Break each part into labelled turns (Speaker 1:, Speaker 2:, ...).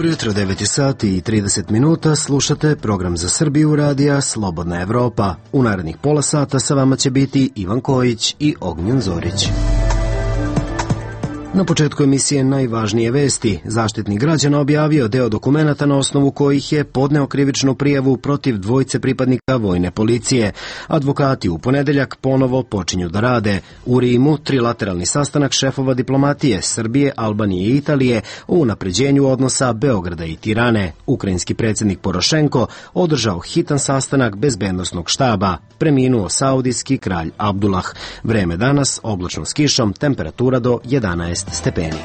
Speaker 1: Dobro jutro, 9 sati i 30 minuta, slušate program za Srbiju radija Slobodna Evropa. U narednih pola sata sa vama će biti Ivan Kojić i Ognjen Zorić. Na početku emisije najvažnije vesti. Zaštitnik građana objavio deo dokumenata na osnovu kojih je podneo krivičnu prijavu protiv dvojice pripadnika vojne policije. Advokati u ponedeljak ponovo počinju da rade. U Rimu trilateralni sastanak šefova diplomatije Srbije, Albanije i Italije o unapređenju odnosa Beograda i Tirane. Ukrajinski predsjednik Porošenko održao hitan sastanak bezbednosnog štaba. Preminuo saudijski kralj Abdullah. Vreme danas oblačno s kišom, temperatura do 11 stepeni.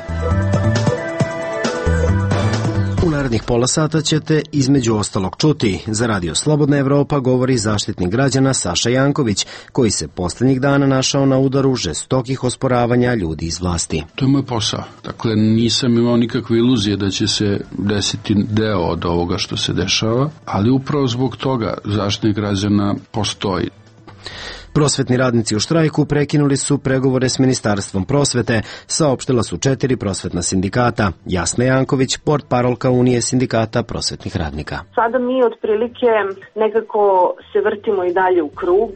Speaker 1: U narednih pola sata ćete između ostalog čuti. Za Radio Slobodna Evropa govori zaštitnik građana Saša Janković, koji se posljednjih dana našao na udaru žestokih osporavanja ljudi iz vlasti.
Speaker 2: To je moj posao. Dakle, nisam imao nikakve iluzije da će se desiti deo od ovoga što se dešava, ali upravo zbog toga zaštitnik građana postoji.
Speaker 1: Prosvetni radnici u štrajku prekinuli su pregovore s Ministarstvom prosvete, saopštila su 4 prosvetna sindikata. Jasna Janković, portparolka Unije sindikata prosvetnih radnika.
Speaker 3: Sada mi otprilike nekako se vrtimo i dalje u krug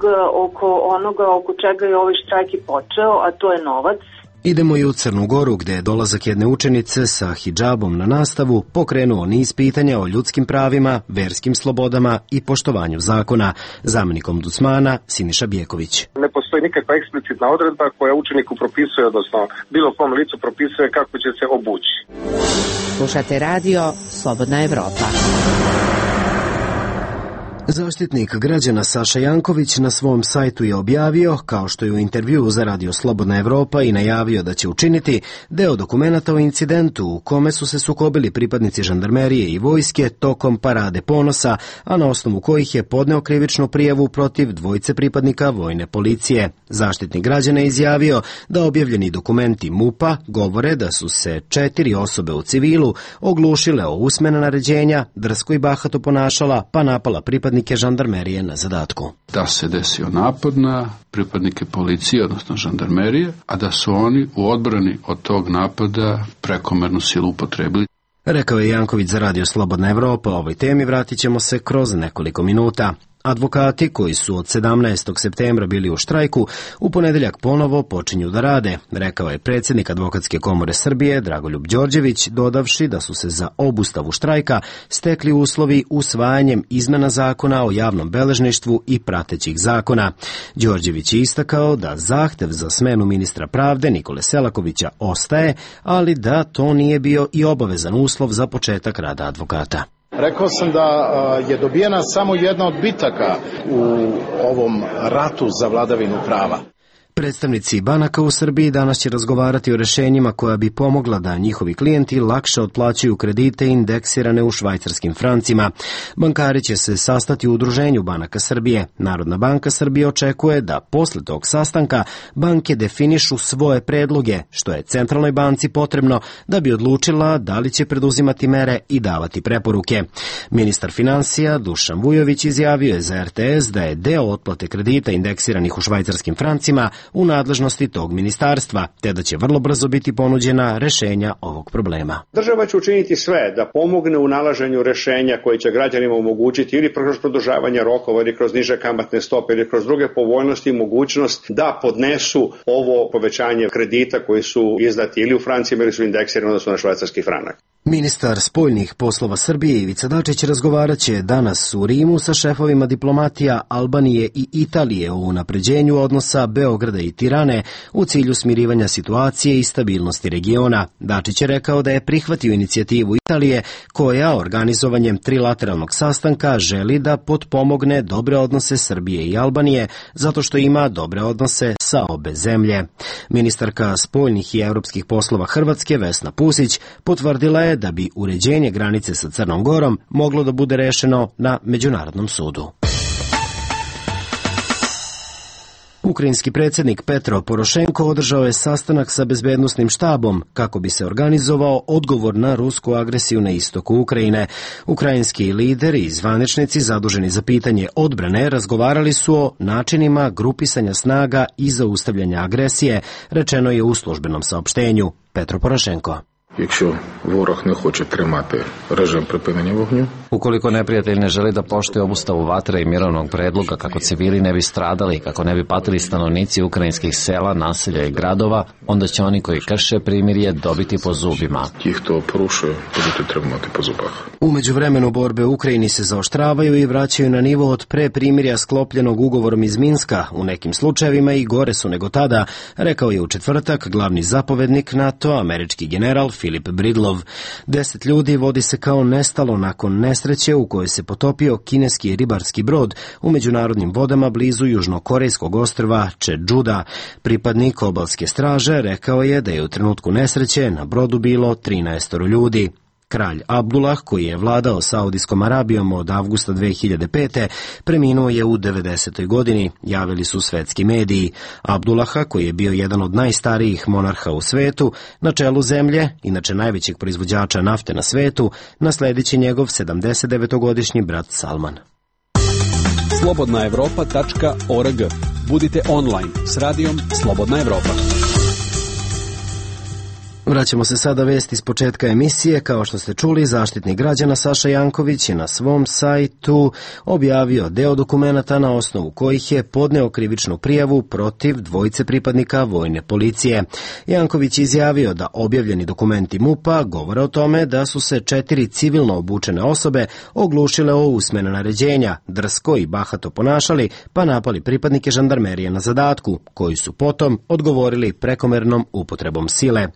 Speaker 3: oko onoga oko čega je ovaj štrajk i počeo, a to je novac.
Speaker 1: Idemo i u Crnu Goru, gde je dolazak jedne učenice sa hidžabom na nastavu pokrenuo niz pitanja o ljudskim pravima, verskim slobodama i poštovanju zakona. Zamenik ombudsmana Siniša Bjeković.
Speaker 4: Ne postoji nikakva eksplicitna odredba koja učeniku propisuje, odnosno bilo kom licu propisuje kako će se obući.
Speaker 5: Slušate radio Slobodna Evropa.
Speaker 1: Zaštitnik građana Saša Janković na svom sajtu je objavio, kao što je u intervjuu za Radio Slobodna Evropa i najavio da će učiniti, deo dokumenata o incidentu u kome su se sukobili pripadnici žandarmerije i vojske tokom parade ponosa, a na osnovu kojih je podneo krivičnu prijavu protiv dvojice pripadnika vojne policije. Zaštitnik građana je izjavio da objavljeni dokumenti MUP-a govore da su se 4 osobe u civilu oglušile o usmena naređenja, drsko i bahato ponašala, pa napala pripadnike žandarmerije na zadatku.
Speaker 2: Da se desio napad na pripadnike policije, odnosno žandarmerije, a da su oni u odbrani od tog napada prekomernu silu upotrebili.
Speaker 1: Rekao je Janković za Radio Slobodna Evropa. O ovoj temi vratit ćemo se kroz nekoliko minuta. Advokati koji su od 17. septembra bili u štrajku u ponedeljak ponovo počinju da rade, rekao je predsjednik Advokatske komore Srbije Dragoljub Đorđević, dodavši da su se za obustavu štrajka stekli uslovi usvajanjem izmena zakona o javnom beležništvu i pratećih zakona. Đorđević je istakao da zahtev za smenu ministra pravde Nikole Selakovića ostaje, ali da to nije bio i obavezan uslov za početak rada advokata.
Speaker 6: Rekao sam da je dobijena samo jedna od bitaka u ovom ratu za vladavinu prava.
Speaker 1: Predstavnici banaka u Srbiji danas će razgovarati o rešenjima koja bi pomogla da njihovi klijenti lakše otplaćuju kredite indeksirane u švajcarskim francima. Bankari će se sastati u Udruženju banaka Srbije. Narodna banka Srbije očekuje da posle tog sastanka banke definišu svoje predloge, što je Centralnoj banci potrebno da bi odlučila da li će preduzimati mere i davati preporuke. Ministar finansija Dušan Vujović izjavio je za RTS da je deo otplate kredita indeksiranih u švajcarskim francima u nadležnosti tog ministarstva, te da će vrlo brzo biti ponuđena rešenja ovog problema.
Speaker 7: Država će učiniti sve da pomogne u nalaženju rešenja koje će građanima omogućiti ili kroz produžavanje rokova ili kroz niže kamatne stope ili kroz druge povoljnosti i mogućnost da podnesu ovo povećanje kredita koji su izdati ili u francima ili su indeksirani odnosno na švajcarski franak.
Speaker 1: Ministar spoljnih poslova Srbije Ivica Dačić razgovarat će danas u Rimu sa šefovima diplomatija Albanije i Italije o unapređenju odnosa Beograda i Tirane u cilju smirivanja situacije i stabilnosti regiona. Dačić je rekao da je prihvatio inicijativu Italije koja organizovanjem trilateralnog sastanka želi da potpomogne dobre odnose Srbije i Albanije zato što ima dobre odnose sa obe zemlje. Ministarka spoljnih i evropskih poslova Hrvatske Vesna Pusić potvrdila je da bi uređenje granice sa Crnom Gorom moglo da bude rešeno na Međunarodnom sudu. Ukrajinski predsjednik Petro Porošenko održao je sastanak sa bezbednosnim štabom kako bi se organizovao odgovor na rusku agresiju na istoku Ukrajine. Ukrajinski lideri i zvaničnici zaduženi za pitanje odbrane razgovarali su o načinima grupisanja snaga i zaustavljanja agresije, rečeno je u službenom saopštenju. Petro Porošenko.
Speaker 8: Якщо ворог не хоче тримати режим припинення вогню.
Speaker 9: Ukoliko neprijatelj ne želi da poštuje obustavu vatre i mirovnog predloga kako civili ne bi stradali i kako ne bi patili stanovnici ukrajinskih sela, naselja i gradova, onda će oni koji krše primirje dobiti po zubima.
Speaker 8: Ті, хто порушує, будуть отримувати по зубах.
Speaker 1: U međuvremenu borbe u Ukrajini se zaoštravaju i vraćaju na nivo od pre primirja sklopljenog ugovorom iz Minska, u nekim slučajevima i gore su nego tada, rekao je u četvrtak glavni zapovednik NATO, američki general Filip Bridlov. 10 ljudi vodi se kao nestalo nakon nesreće u kojoj se potopio kineski ribarski brod u međunarodnim vodama blizu južnokorejskog ostrva Čedžuda. Pripadnik obalske straže rekao je da je u trenutku nesreće na brodu bilo 13 ljudi. Kralj Abdullah, koji je vladao Saudijskom Arabijom od avgusta 2005. preminuo je u 90. godini, javili su svetski mediji. Abdullaha, koji je bio jedan od najstarijih monarha u svetu, na čelu zemlje, inače najvećeg proizvođača nafte na svetu, nasledit će njegov 79-godišnji brat Salman.
Speaker 10: Slobodnaevropa.org. Budite online s radijom Slobodna Evropa.
Speaker 1: Vraćamo se sada vesti s početka emisije. Kao što ste čuli, Zaštitnik građana Saša Janković je na svom sajtu objavio deo dokumenata na osnovu kojih je podneo krivičnu prijavu protiv dvojice pripadnika vojne policije. Janković je izjavio da objavljeni dokumenti MUP-a govore o tome da su se 4 civilno obučene osobe oglušile o usmena naređenja, drsko i bahato ponašali, pa napali pripadnike žandarmerije na zadatku, koji su potom odgovorili prekomernom upotrebom sile.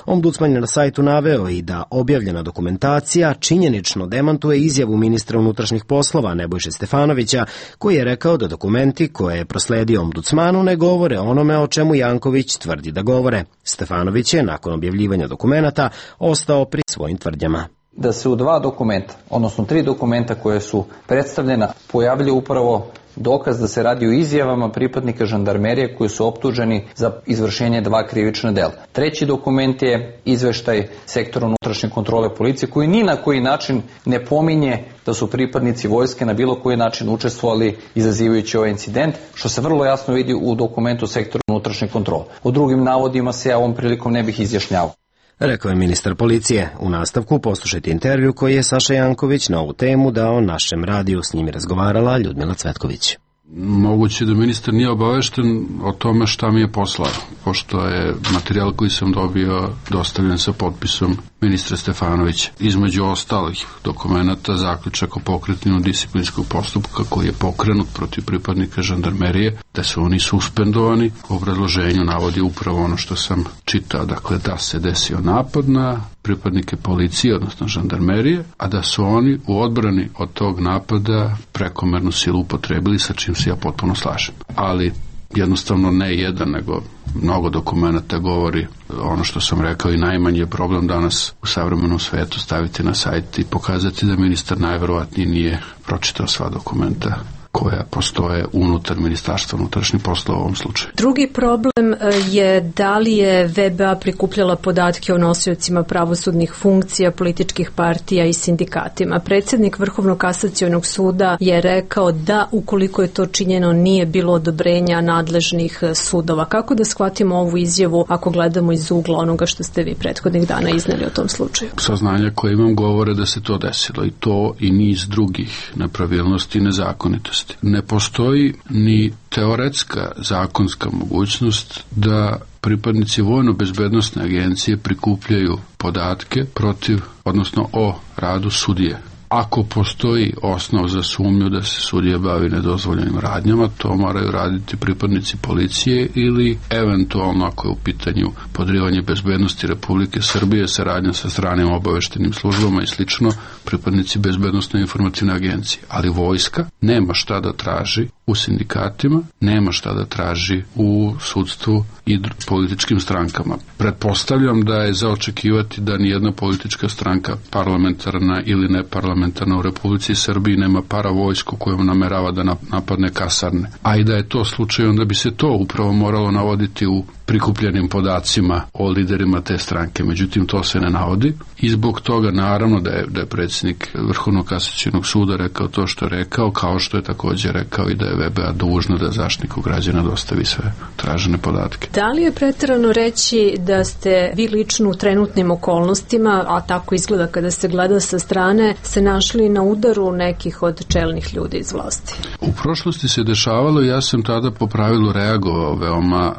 Speaker 1: Ombudsman je na sajtu naveo i da objavljena dokumentacija činjenično demantuje izjavu ministra unutrašnjih poslova Nebojše Stefanovića, koji je rekao da dokumenti koje je prosledio ombudsmanu ne govore onome o čemu Janković tvrdi da govore. Stefanović je nakon objavljivanja dokumenata ostao pri svojim tvrdnjama.
Speaker 11: Da se u 2 dokumenta, odnosno 3 dokumenta koje su predstavljena, pojavljaju upravo dokaz da se radi o izjavama pripadnika žandarmerije koji su optuženi za izvršenje 2 krivična dela. 3. dokument je izveštaj sektora unutrašnje kontrole policije koji ni na koji način ne pominje da su pripadnici vojske na bilo koji način učestvovali izazivajući ovaj incident, što se vrlo jasno vidi u dokumentu sektora unutrašnje kontrole. O drugim navodima se ja ovom prilikom ne bih izjašnjavao.
Speaker 1: Rekao je ministar policije. U nastavku poslušajte intervju koji je Saša Janković na ovu temu dao našem radiju. S njim je razgovarala Ljudmila Cvetković.
Speaker 2: Moguće da ministar nije obavešten o tome šta mi je poslao, pošto je materijal koji sam dobio dostavljen sa potpisom ministra Stefanovića. Između ostalih dokumenta zaključak o pokretanju disciplinskog postupka koji je pokrenut protiv pripadnika žandarmerije, da su oni suspendovani. U obrazloženju navodi upravo ono što sam čitao, dakle da se desio napad na pripadnike policije, odnosno žandarmerije, a da su oni u odbrani od tog napada prekomernu silu upotrebili, sa čim se ja potpuno slažem. Ali jednostavno ne jedan, nego mnogo dokumenta govori ono što sam rekao i najmanji je problem danas u savremenom svetu staviti na sajt i pokazati da ministar najverovatnije nije pročitao sva dokumenta koja postoje unutar Ministarstva unutrašnjih poslova u ovom slučaju.
Speaker 12: Drugi problem je da li je VBA prikupljala podatke o nosiocima pravosudnih funkcija, političkih partija i sindikatima. Predsjednik Vrhovnog kasacionog suda je rekao da ukoliko je to činjeno nije bilo odobrenja nadležnih sudova. Kako da shvatimo ovu izjavu ako gledamo iz ugla onoga što ste vi prethodnih dana izneli o tom slučaju?
Speaker 2: Saznanja koje imam govore da se to desilo i to i niz drugih nepravilnosti i nezakonitosti. Ne postoji ni teoretska zakonska mogućnost da pripadnici vojno-bezbednosne agencije prikupljaju podatke protiv, odnosno o radu sudije. Ako postoji osnov za sumnju da se sudija bavi nedozvoljenim radnjama, to moraju raditi pripadnici policije ili eventualno ako je u pitanju podrivanje bezbednosti Republike Srbije, saradnja sa stranim obaveštenim službama i slično, pripadnici bezbednosne informativne agencije. Ali vojska nema šta da traži u sindikatima, nema šta da traži u sudstvu i političkim strankama. Pretpostavljam da je za očekivati da nijedna politička stranka, parlamentarna ili neparlamentarna, parlamentarna u Republici Srbiji, nema paravojsku kojom namerava da napadne kasarne. A i da je to slučaj, onda bi se to upravo moralo navoditi u prikupljenim podacima o liderima te stranke. Međutim, to se ne navodi i zbog toga naravno da je predsjednik Vrhovnog kasacionog suda rekao to što je rekao, kao što je također rekao i da je VBA dužna da Zaštitniku građana dostavi sve tražene podatke.
Speaker 12: Da li je pretjerano reći da ste vi lično u trenutnim okolnostima, a tako izgleda kada se gleda sa strane, se našli na udaru nekih od čelnih ljudi iz vlasti?
Speaker 2: U prošlosti se dešavalo i ja sam tada po pravilu reagovao veoma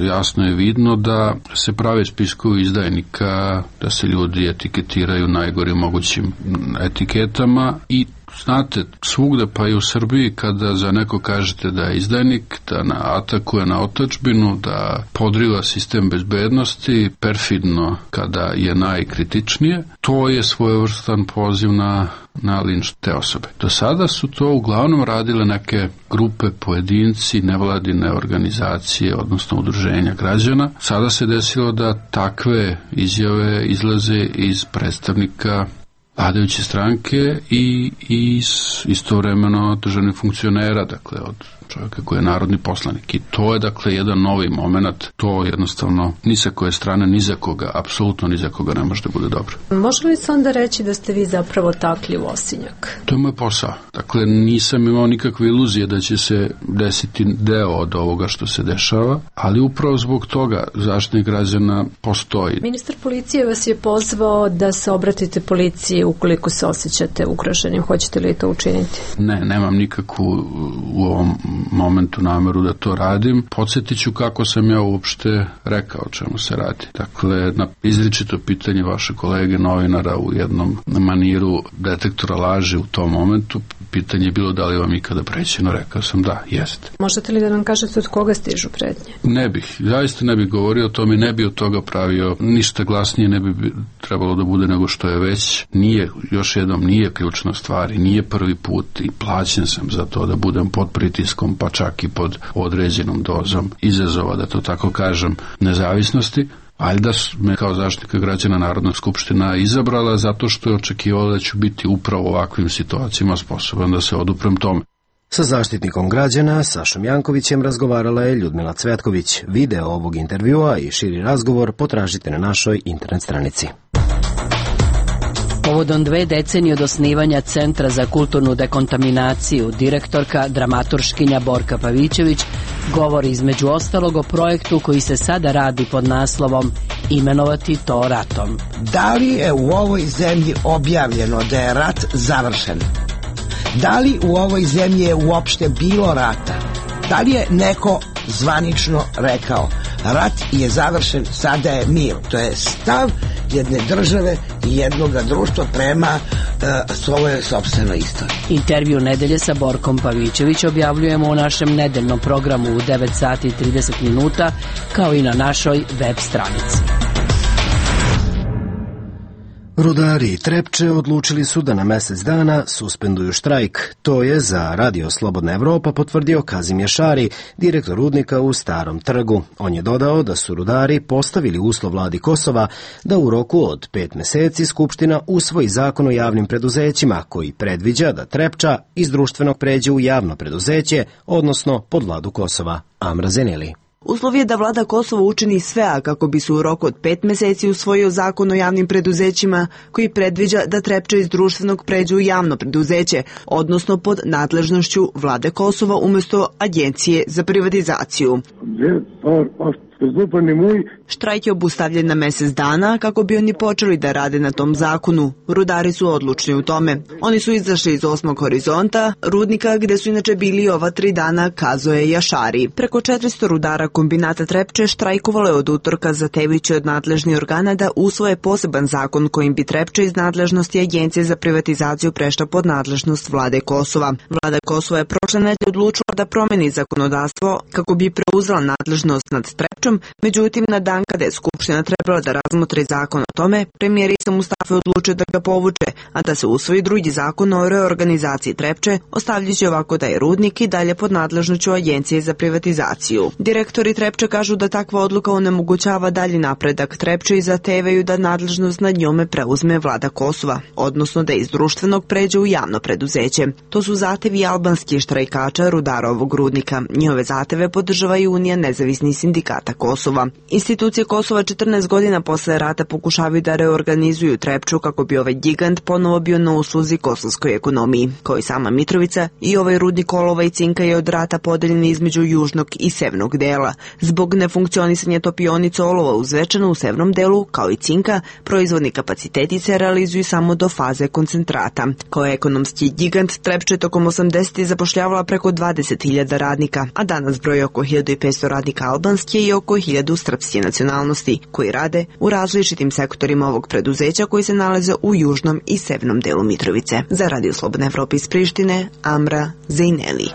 Speaker 2: jasno je vidno da se prave spiskovi izdajnika, da se ljudi etiketiraju najgorim mogućim etiketama i znate, svugde pa i u Srbiji kada za neko kažete da je izdajnik, da atakuje na otadžbinu, da podriva sistem bezbednosti, perfidno kada je najkritičnije, to je svojevrstan poziv na linč te osobe. Do sada su to uglavnom radile neke grupe, pojedinci, nevladine organizacije, odnosno udruženja građana. Sada se desilo da takve izjave izlaze iz predstavnika vladajuće stranke i istovremeno državnih funkcionera, dakle od čovjeka koji je narodni poslanik. I to je dakle jedan novi moment, to jednostavno ni sa koje strane, ni za koga, apsolutno ni za koga ne može da bude dobro.
Speaker 12: Može li se onda reći da ste vi zapravo takli u osinjak?
Speaker 2: To je moj posao. Dakle, nisam imao nikakve iluzije da će se desiti deo od ovoga što se dešava, ali upravo zbog toga Zaštitnik građana postoji.
Speaker 12: Ministar policije vas je pozvao da se obratite policiji ukoliko se osjećate ugroženim. Hoćete li to učiniti?
Speaker 2: Ne, nemam nikakvu u ovom momentu nameru da to radim. Podsjetit ću kako sam ja uopšte rekao o čemu se radi. Dakle, na izričito pitanje vaše kolege novinara u jednom maniru detektora laži u tom momentu, pitanje je bilo da li vam ikada prećeno, rekao sam da, jeste.
Speaker 12: Možete li da nam kažete od koga stižu pretnje?
Speaker 2: Ne bih, zaista ne bih govorio o tome, ne bih od toga pravio ništa glasnije, ne bi trebalo da bude nego što je već. Nije, još jednom, nije ključna stvar i nije prvi put i plaćen sam za to da budem pod pritiskom, pa čak i pod određenom dozom izazova, da to tako kažem, nezavisnosti. Valjda me kao Zaštitnika građana Narodna skupština izabrala zato što je očekivala da ću biti upravo u ovakvim situacijama sposoban da se oduprem tome.
Speaker 1: Sa Zaštitnikom građana Sašom Jankovićem razgovarala je Ljudmila Cvetković. Video ovog intervjua i širi razgovor potražite na našoj internet stranici.
Speaker 13: Povodom 2 decenije od osnivanja Centra za kulturnu dekontaminaciju, direktorka, dramaturškinja Borka Pavićević govori između ostalog o projektu koji se sada radi pod naslovom Imenovati to ratom.
Speaker 14: Da li je u ovoj zemlji objavljeno da je rat završen? Da li u ovoj zemlji je uopšte bilo rata? Da li je neko zvanično rekao rat je završen, sada je mir? To je stav jedne države i jednog društva prema svojoj sopstvenoj istoriji.
Speaker 13: Intervju nedelje sa Borkom Pavićević objavljujemo u našem nedeljnom programu u 9 sati i 30 minuta, kao i na našoj web stranici.
Speaker 1: Rudari Trepče odlučili su da na mesec dana suspenduju štrajk. To je za Radio Slobodna Evropa potvrdio Kazim Jašari, direktor rudnika u Starom Trgu. On je dodao da su rudari postavili uslov vladi Kosova da u roku od 5 meseci Skupština usvoji zakon o javnim preduzećima koji predviđa da Trepča iz društvenog pređe u javno preduzeće, odnosno pod vladu Kosova. Amra Zeneli.
Speaker 15: Uslov je da vlada Kosova učini sve, a kako bi se u roku od 5 meseci usvojio zakon o javnim preduzećima koji predviđa da Trepča iz društvenog pređe u javno preduzeće, odnosno pod nadležnošću vlade Kosova umjesto Agencije za privatizaciju. Štrajk je obustavljen na mesec dana kako bi oni počeli da rade na tom zakonu. Rudari su odlučni u tome. Oni su izašli iz 8. horizonta, rudnika gde su inače bili ova 3 dana, kazao je Jašari. Preko 400 rudara kombinata Trepče štrajkovalo je od utorka zahtevajući od nadležnih organa da usvoje poseban zakon kojim bi Trepča iz nadležnosti Agencije za privatizaciju prešla pod nadležnost vlade Kosova. Vlada Kosova je prošle nedelje odlučila da promeni zakonodavstvo kako bi preuzela nadležnost nad Trepčom, međutim na dan kada je Skupština trebala da razmotri zakon o tome, premijer Isa Mustafa odlučio da ga povuče, a da se usvoji drugi zakon o reorganizaciji Trepče, ostavljajući ovako da je rudnik i dalje pod nadležnošću Agencije za privatizaciju. Direktori Trepče kažu da takva odluka onemogućava dalji napredak Trepče i zahtevaju da nadležnost nad njome preuzme vlada Kosova, odnosno da iz društvenog pređe u javno preduzeće. To su zahtevi albanskih štrajkača rudara ovog rudnika. Njihove zahteve podržava i Unija nezavisnih sindikata Kosova. Institucije Kosova 14 godina posle rata pokušavaju da reorganizuju Trepču kako bi ovaj gigant ponovo bio na usluzi kosovskoj ekonomiji. Kao i sama Mitrovica, i ovaj rudnik olova i cinka je od rata podeljen između južnog i severnog dela. Zbog nefunkcionisanja topionica olova u Zvečanu u severnom delu, kao i cinka, proizvodni kapaciteti se realizuju samo do faze koncentrata. Kao ekonomski gigant, Trepča je tokom 80. zapošljavala preko 20.000 radnika, a danas broji oko 1500 radnika albanske i oko 1000 srpske nacionalnosti, koji rade u različitim sektorima ovog preduzeća koji se nalaze u južnom i severnom delu Mitrovice. Za Radio Slobodna Evropa iz Prištine, Amra Zejneli.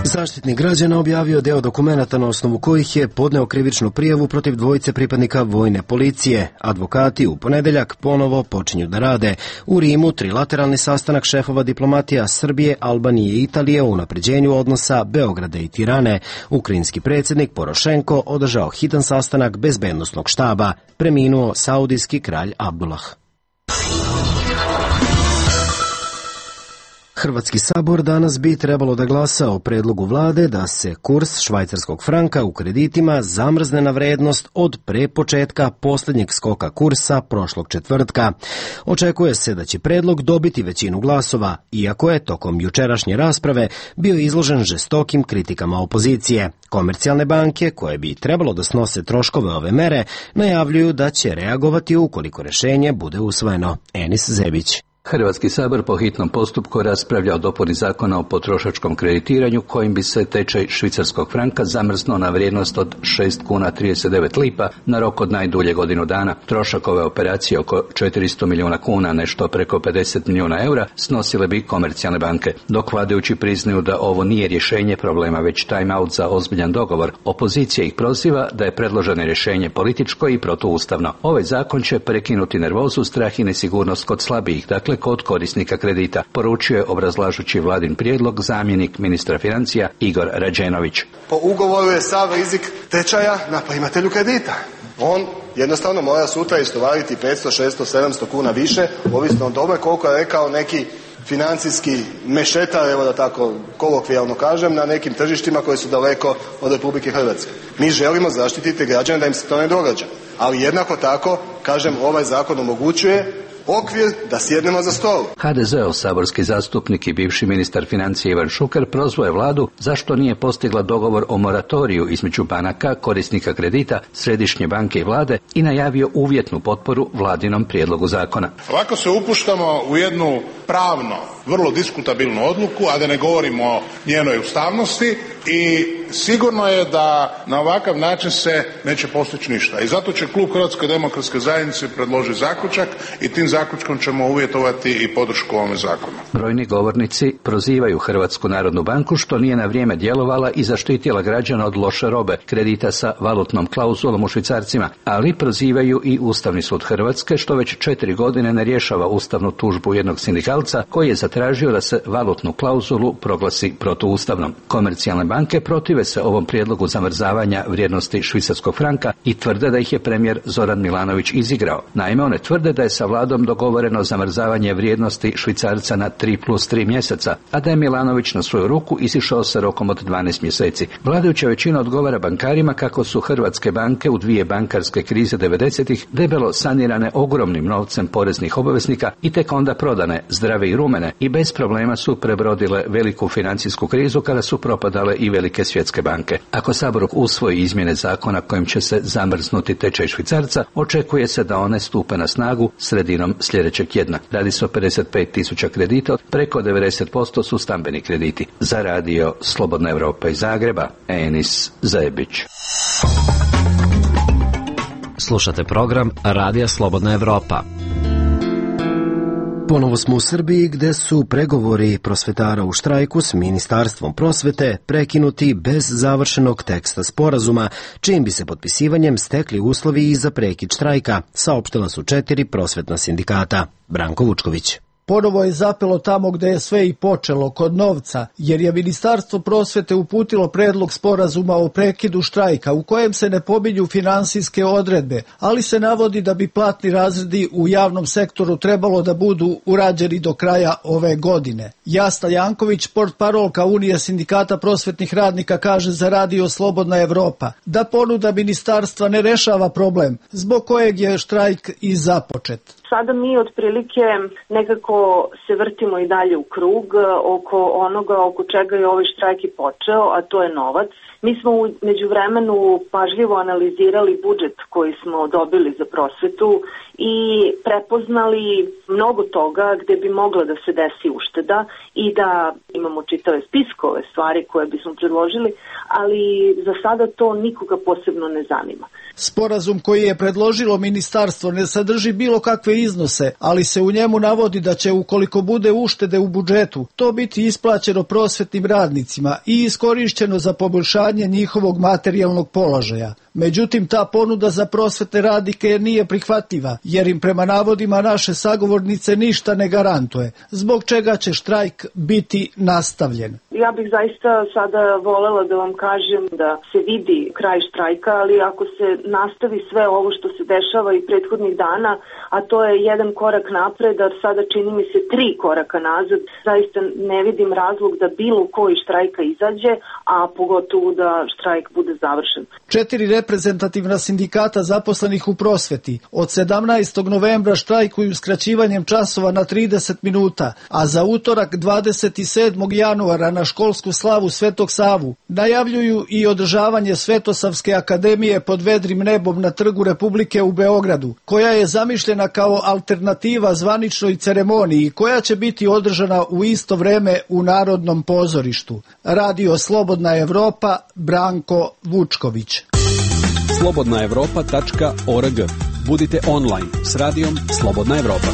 Speaker 1: Zaštitnik građana objavio deo dokumenata na osnovu kojih je podneo krivičnu prijavu protiv dvojice pripadnika vojne policije. Advokati u ponedeljak ponovo počinju da rade. U Rimu trilateralni sastanak šefova diplomatija Srbije, Albanije i Italije o unapređenju odnosa Beograda i Tirane. Ukrajinski predsjednik Porošenko održao hitan sastanak bezbednosnog štaba. Preminuo saudijski kralj Abdullah. Hrvatski sabor danas bi trebalo da glasa o predlogu vlade da se kurs švajcarskog franka u kreditima zamrzne na vrednost od pre početka posljednjeg skoka kursa prošlog četvrtka. Očekuje se da će predlog dobiti većinu glasova, iako je tokom jučerašnje rasprave bio izložen žestokim kritikama opozicije. Komercijalne banke, koje bi trebalo da snose troškove ove mere, najavljuju da će reagovati ukoliko rešenje bude usvojeno. Enis Zebić.
Speaker 16: Hrvatski sabor po hitnom postupku raspravlja o dopuni zakona o potrošačkom kreditiranju kojim bi se tečaj švicarskog franka zamrznuo na vrijednost od 6 kuna 39 lipa na rok od najdulje godinu dana. Trošak ove operacije oko 400 milijuna kuna, nešto preko 50 milijuna eura, snosile bi komercijalne banke. Dok vladajući priznaju da ovo nije rješenje problema, već time out za ozbiljan dogovor, opozicija ih proziva da je predloženo rješenje političko i protuustavno. Ovaj zakon će prekinuti nervozu, strah i nesigurnost kod slabijih, dakle kod korisnika kredita, poručio je obrazlažući vladin prijedlog zamjenik ministra financija Igor Rađenović.
Speaker 17: Po ugovoru je sav rizik tečaja na primatelju kredita. On jednostavno mora sutra istovariti 500, 600, 700 kuna više, ovisno o tome koliko je rekao neki financijski mešetar, evo da tako kolokvijalno kažem, na nekim tržištima koji su daleko od Republike Hrvatske. Mi želimo zaštititi građane da im se to ne događa, ali jednako tako, kažem, ovaj zakon omogućuje okvir da sjednemo za stol.
Speaker 16: HDZ-ov saborski zastupnik i bivši ministar financija Ivan Šuker prozvao je vladu zašto nije postigla dogovor o moratoriju između banaka, korisnika kredita, Središnje banke i vlade i najavio uvjetnu potporu vladinom prijedlogu zakona.
Speaker 18: Ovako se upuštamo u jednu pravno vrlo diskutabilnu odluku, a da ne govorimo o njenoj ustavnosti, i sigurno je da na ovakav način se neće postići ništa. I zato će klub Hrvatske demokratske zajednice predložiti zaključak i tim zaključkom ćemo uvjetovati i podršku ovome zakonu.
Speaker 16: Brojni govornici prozivaju Hrvatsku narodnu banku što nije na vrijeme djelovala i zaštitila građana od loše robe, kredita sa valutnom klauzulom u švicarcima, ali prozivaju i Ustavni sud Hrvatske što već 4 godine ne rješava ustavnu tužbu jednog sindikalca koji je zatražio da se valutnu klauzulu proglasi protuustavnom. Komercijalne banke protive se ovom prijedlogu zamrzavanja vrijednosti švicarskog franka i tvrde da ih je premijer Zoran Milanović izigrao. Naime, one tvrde da je sa vladom dogovoreno zamrzavanje vrijednosti švicarca na 3+3 mjeseca, a da je Milanović na svoju ruku izišao sa rokom od 12 mjeseci. Vladajuća većina odgovara bankarima kako su hrvatske banke u 2 bankarske krize 90-ih debelo sanirane ogromnim novcem poreznih obveznika i tek onda prodane, zdrave i rumene, i bez problema su prebrodile veliku financijsku krizu kada su propadale i velike svjetske banke. Ako Sabor usvoji izmjene zakona kojim će se zamrznuti tečaj švicarca, očekuje se da one stupe na snagu sredinom sljedećeg tjedna. Radi se o 55.000 kredita, preko 90% su stambeni krediti. Za Radio Slobodna Evropa iz Zagreba, Enis Zebić.
Speaker 9: Slušate program Radija Slobodna Evropa.
Speaker 1: Ponovo smo u Srbiji gde su pregovori prosvetara u štrajku s Ministarstvom prosvete prekinuti bez završenog teksta sporazuma, čijim bi se potpisivanjem stekli uslovi i za prekid štrajka, saopštila su 4 prosvetna sindikata. Branko Vučković.
Speaker 19: Ponovo je zapelo tamo gde je sve i počelo, kod novca, jer je Ministarstvo prosvete uputilo predlog sporazuma o prekidu štrajka u kojem se ne pominju finansijske odredbe, ali se navodi da bi platni razredi u javnom sektoru trebalo da budu urađeni do kraja ove godine. Jasna Janković, portparolka Unije sindikata prosvetnih radnika, kaže za Radio Slobodna Evropa da ponuda ministarstva ne rešava problem zbog kojeg je štrajk i započet.
Speaker 3: Sada mi otprilike nekako se vrtimo i dalje u krug oko onoga oko čega je ovaj štrajk i počeo, a to je novac. Mi smo u međuvremenu pažljivo analizirali budžet koji smo dobili za prosvetu i prepoznali mnogo toga gde bi mogla da se desi ušteda i da imamo čitave spiskove stvari koje bismo predložili, ali za sada to nikoga posebno ne zanima.
Speaker 19: Sporazum koji je predložilo ministarstvo ne sadrži bilo kakve iznose, ali se u njemu navodi da će, ukoliko bude uštede u budžetu, to biti isplaćeno prosvetnim radnicima i iskorišćeno za poboljšanje njihovog materijalnog položaja. Međutim, ta ponuda za prosvetne radnike nije prihvatljiva, jer im prema navodima naše sagovornice ništa ne garantuje, zbog čega će štrajk biti nastavljen.
Speaker 3: Ja bih zaista sada volela da vam kažem da se vidi kraj štrajka, ali ako se nastavi sve ovo što se dešava i prethodnih dana, a to je jedan korak napred, a sada čini mi se 3 koraka nazad, zaista ne vidim razlog da bilo koji štrajka izađe, a pogotovo da štrajk bude završen.
Speaker 19: 4 reprezentativna sindikata zaposlenih u prosveti od 17. novembra štrajkuju skraćivanjem časova na 30 minuta, a za utorak 27. januara na školsku slavu Svetog Savu najavljuju i održavanje Svetosavske akademije pod vedrim nebom na Trgu Republike u Beogradu, koja je zamišljena kao alternativa zvaničnoj ceremoniji koja će biti održana u isto vreme u Narodnom pozorištu. Radio Slobodna Evropa, Branko Vučković.
Speaker 10: slobodnaevropa.org. Budite online s radijom Slobodna Evropa.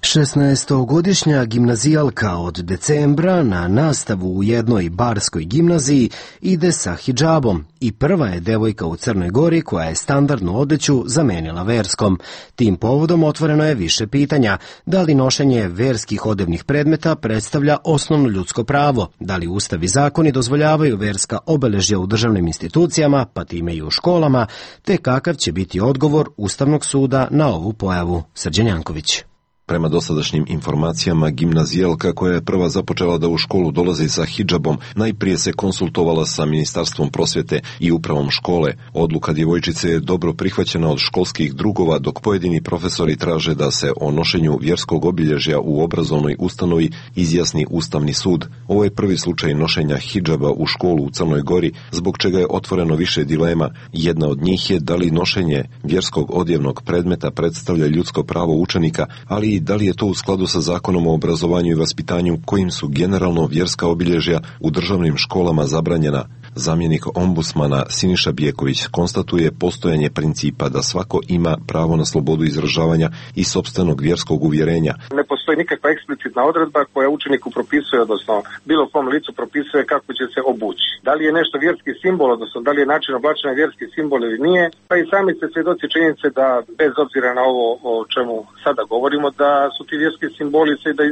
Speaker 1: 16-godišnja gimnazijalka od decembra na nastavu u jednoj barskoj gimnaziji ide sa hidžabom i prva je devojka u Crnoj Gori koja je standardnu odeću zamenila verskom. Tim povodom otvoreno je više pitanja. Da li nošenje verskih odevnih predmeta predstavlja osnovno ljudsko pravo? Da li ustav i zakoni dozvoljavaju verska obeležja u državnim institucijama, pa time i u školama? Te kakav će biti odgovor Ustavnog suda na ovu pojavu? Srđan Janković.
Speaker 20: Prema dosadašnjim informacijama, gimnazijalka koja je prva započela da u školu dolazi sa hidžabom, najprije se konsultovala sa Ministarstvom prosvete i upravom škole. Odluka djevojčice je dobro prihvaćena od školskih drugova, dok pojedini profesori traže da se o nošenju vjerskog obilježja u obrazovnoj ustanovi izjasni Ustavni sud. Ovo je prvi slučaj nošenja hidžaba u školu u Crnoj Gori, zbog čega je otvoreno više dilema. Jedna od njih je da li nošenje vjerskog odjevnog predmeta predstavlja ljudsko pravo učenika, ali da li je to u skladu sa Zakonom o obrazovanju i vaspitanju kojim su generalno vjerska obilježja u državnim školama zabranjena. Zamjenik ombudsmana Siniša Bjeković konstatuje postojanje principa da svako ima pravo na slobodu izražavanja i sopstvenog vjerskog uvjerenja.
Speaker 4: Ne postoji nikakva eksplicitna odredba koja učeniku propisuje, odnosno bilo kom licu propisuje kako će se obući. Da li je nešto vjerski simbol, odnosno da li je način oblačenja vjerski simbol ili nije, pa i sami ste svjedoci činjenice da bez obzira na ovo o čemu sada govorimo, da su ti vjerski simboli se da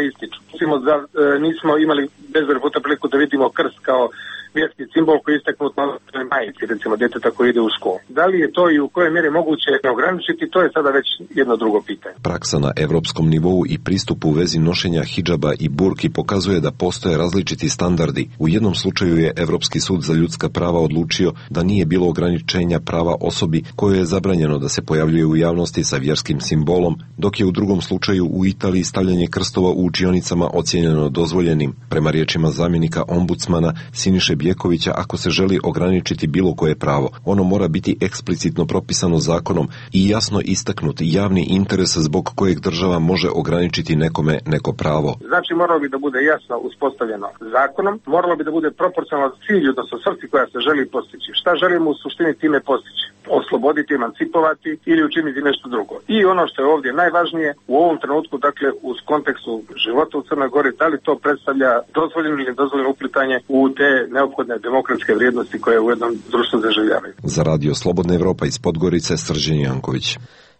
Speaker 4: ističu. Mislimo da nismo imali bezbroj puta priliku da vidimo krst kao vjerski simbol koji je istaknut na majici, recimo djeteta koji ide u školu. Da li je to i u kojoj mjeri moguće ograničiti, to je sada već jedno drugo pitanje.
Speaker 20: Praksa na evropskom nivou i pristupu u vezi nošenja hidžaba i burki pokazuje da postoje različiti standardi. U jednom slučaju je Evropski sud za ljudska prava odlučio da nije bilo ograničenja prava osobi kojoj je zabranjeno da se pojavljuje u javnosti sa vjerskim simbolom, dok je u drugom slučaju u Italiji stavljanje krstova u učionicama ocijenjeno dozvoljenim. Prema riječima zamjenika ombudsmana Siniše Bjekovića, ako se želi ograničiti bilo koje pravo, ono mora biti eksplicitno propisano zakonom i jasno istaknuti javni interes zbog kojeg država može ograničiti nekome neko pravo.
Speaker 4: Znači moralo bi da bude jasno uspostavljeno zakonom, moralo bi da bude proporcionalno cilju, odnosno svrsi koja se želi postići. Šta želimo u suštini time postići? osloboditi, emancipovati ili učiniti nešto drugo. I ono što je ovdje najvažnije u ovom trenutku, dakle u kontekstu života u Crnoj Gori, da li to predstavlja dozvoljeno ili nedozvoljeno uplitanje u te neophodne demokratske vrijednosti koje u jednom društvu zaživljavaju.
Speaker 20: Za Radio Slobodna Evropa iz Podgorice, Srđan Janković.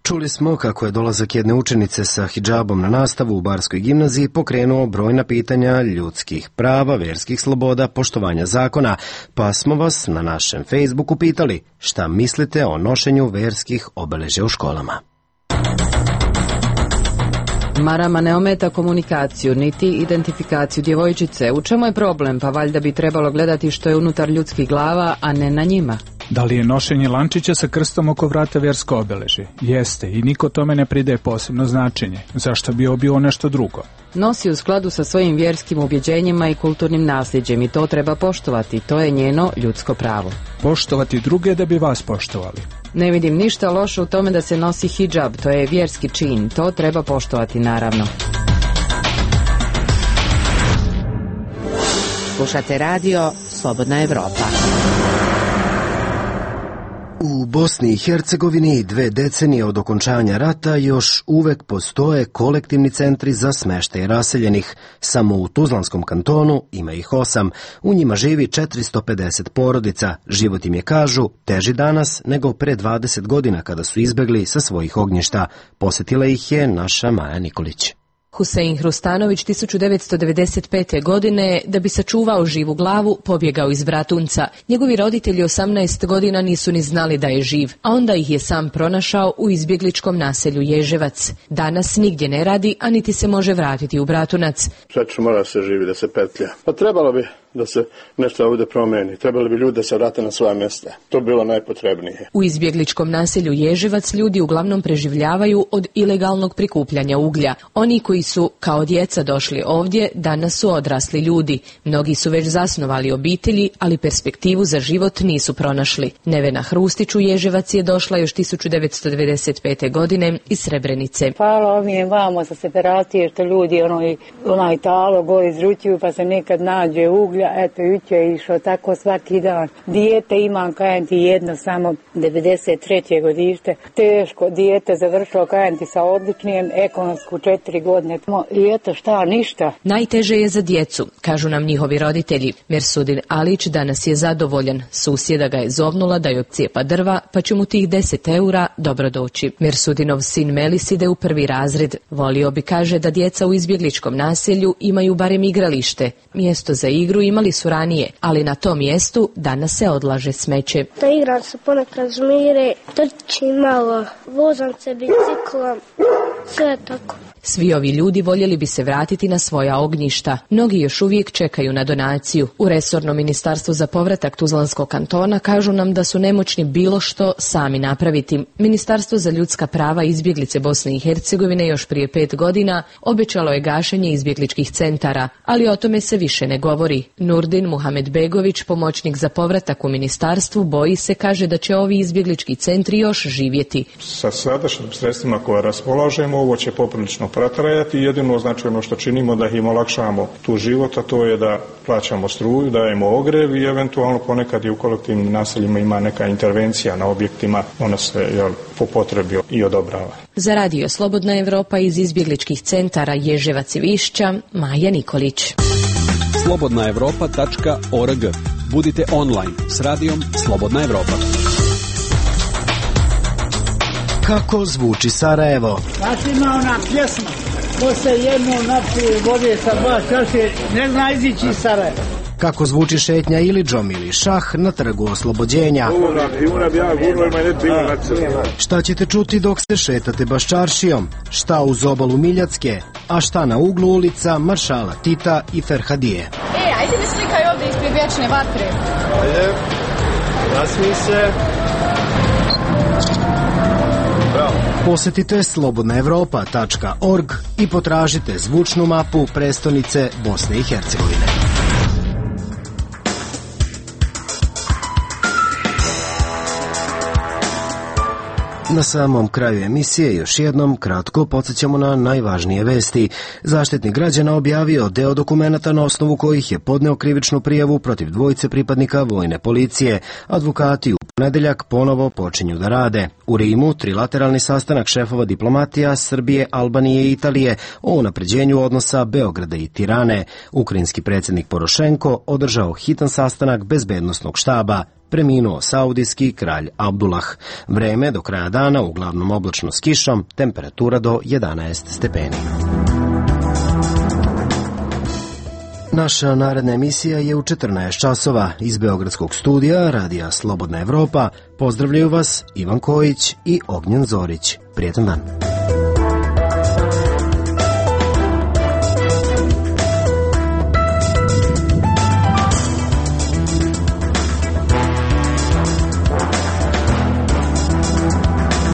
Speaker 1: Čuli smo kako je dolazak jedne učenice sa hidžabom na nastavu u Barskoj gimnaziji pokrenuo brojna pitanja ljudskih prava, verskih sloboda, poštovanja zakona, pa smo vas na našem Facebooku pitali šta mislite o nošenju verskih obeležja u školama.
Speaker 21: Marama ne ometa komunikaciju, niti identifikaciju djevojčice. U čemu je problem? Pa valjda bi trebalo gledati što je unutar ljudskih glava, a ne na njima.
Speaker 22: Da li je nošenje lančića sa krstom oko vrata vjersko obeležje? Jeste, i niko tome ne pridaje posebno značenje. Zašto bi bio nešto drugo?
Speaker 21: Nosi u skladu sa svojim vjerskim ubjeđenjima i kulturnim nasljeđem i to treba poštovati. To je njeno ljudsko pravo.
Speaker 22: Poštovati druge da bi vas poštovali.
Speaker 21: Ne vidim ništa loše u tome da se nosi hidžab, to je vjerski čin. To treba poštovati, naravno.
Speaker 5: Slušate radio Slobodna Evropa.
Speaker 1: U Bosni i Hercegovini 2 decenije od okončanja rata još uvek postoje kolektivni centri za smeštaj raseljenih. Samo u Tuzlanskom kantonu ima ih 8. U njima živi 450 porodica. Život im je, kažu, teži danas nego pre 20 godina kada su izbegli sa svojih ognjišta. Posetila ih je naša Maja Nikolić.
Speaker 23: Husein Hrustanović 1995. godine, da bi sačuvao živu glavu, pobjegao iz Bratunca. Njegovi roditelji 18 godina nisu ni znali da je živ, a onda ih je sam pronašao u izbjegličkom naselju Ježevac. Danas nigdje ne radi, a niti se može vratiti u Bratunac.
Speaker 24: Svečno mora se živi da se petlja. Pa trebalo bi da se nešto ovdje promeni. Trebali bi ljudi da se vrate na svoja mjesta. To bi bilo najpotrebnije.
Speaker 23: U izbjegličkom naselju Ježevac ljudi uglavnom preživljavaju od ilegalnog prikupljanja uglja. Oni koji su kao djeca došli ovdje, danas su odrasli ljudi. Mnogi su već zasnovali obitelji, ali perspektivu za život nisu pronašli. Nevena Hrustić u Ježevac je došla još 1995. godine iz Srebrenice.
Speaker 25: Hvala ovim vamo sa separacije što ljudi onaj talo go izručuju pa se nekad nađe uglja. Eto, juče je išao tako svaki dan. Dijete imam, kajem ti, jedno samo 93. godište. Teško, dijete završilo, kajem ti, sa odličnijem, ekonomsku 4 godine. I eto šta, ništa.
Speaker 23: Najteže je za djecu, kažu nam njihovi roditelji. Mersudin Alić danas je zadovoljan. Susjeda ga je zovnula da joj cijepa drva, pa će mu tih 10 eura dobro doći. Mersudinov sin Melis ide u 1. razred. Volio bi, kaže, da djeca u izbjegličkom naselju imaju barem igralište. Mjesto za igru imali su ranije, ali na tom mjestu danas se odlaže smeće.
Speaker 26: Da igram se ponekad žmire, trčim malo, vozam se biciklom, sve tako.
Speaker 23: Svi ovi ljudi voljeli bi se vratiti na svoja ognjišta. Mnogi još uvijek čekaju na donaciju. U resornom ministarstvu za povratak Tuzlanskog kantona kažu nam da su nemoćni bilo što sami napraviti. Ministarstvo za ljudska prava i izbjeglice Bosne i Hercegovine još prije 5 godina obećalo je gašenje izbjegličkih centara, ali o tome se više ne govori. Nurdin Muhamedbegović, pomoćnik za povratak u ministarstvu, boji se, kaže, da će ovi izbjeglički centri još živjeti.
Speaker 27: Sa sadašnjim sredstvima koje raspolažemo, ovo će poprilično protrajati. Jedino značajno što činimo da im olakšamo tu život, a to je da plaćamo struju, dajemo ogrev i eventualno ponekad i u kolektivnim naseljima ima neka intervencija na objektima, ona se po potrebi i odobrava.
Speaker 23: Za radio Slobodna Evropa iz izbjegličkih centara Ježevac i Višća, Maja Nikolić.
Speaker 10: slobodnaevropa.org. Budite online s radijom Slobodna Evropa.
Speaker 1: Kako zvuči Sarajevo?
Speaker 28: Znači ima ona pjesma, ko se jednu napije vode sa 2 čaše, ne zna izići iz Sarajeva.
Speaker 1: Kako zvuči šetnja Ilidžom ili šah na trgu Oslobođenja? Šta ćete čuti dok se šetate Baščaršijom? Šta uz obalu Miljacke? A šta na uglu ulica Maršala Tita i Ferhadije?
Speaker 29: Ajde mi slikaj ovdje ispred vječne vatre.
Speaker 28: Ajde, nasmij se.
Speaker 1: Posetite slobodnaevropa.org i potražite zvučnu mapu prestonice Bosne i Hercegovine. Na samom kraju emisije još jednom kratko podsjećamo na najvažnije vesti. Zaštitnik građana objavio deo dokumenata na osnovu kojih je podneo krivičnu prijavu protiv 2 pripadnika vojne policije. Advokati u ponedeljak ponovo počinju da rade. U Rimu trilateralni sastanak šefova diplomatija Srbije, Albanije i Italije o unapređenju odnosa Beograda i Tirane. Ukrajinski predsjednik Porošenko održao hitan sastanak bezbednosnog štaba. Preminuo saudijski kralj Abdullah. Vreme do kraja dana uglavnom oblačno s kišom, temperatura do 11 stepeni. Naša naredna emisija je u 14 časova. Iz Beogradskog studija Radija Slobodna Evropa pozdravljaju vas Ivan Kojić i Ognjen Zorić. Prijetan dan.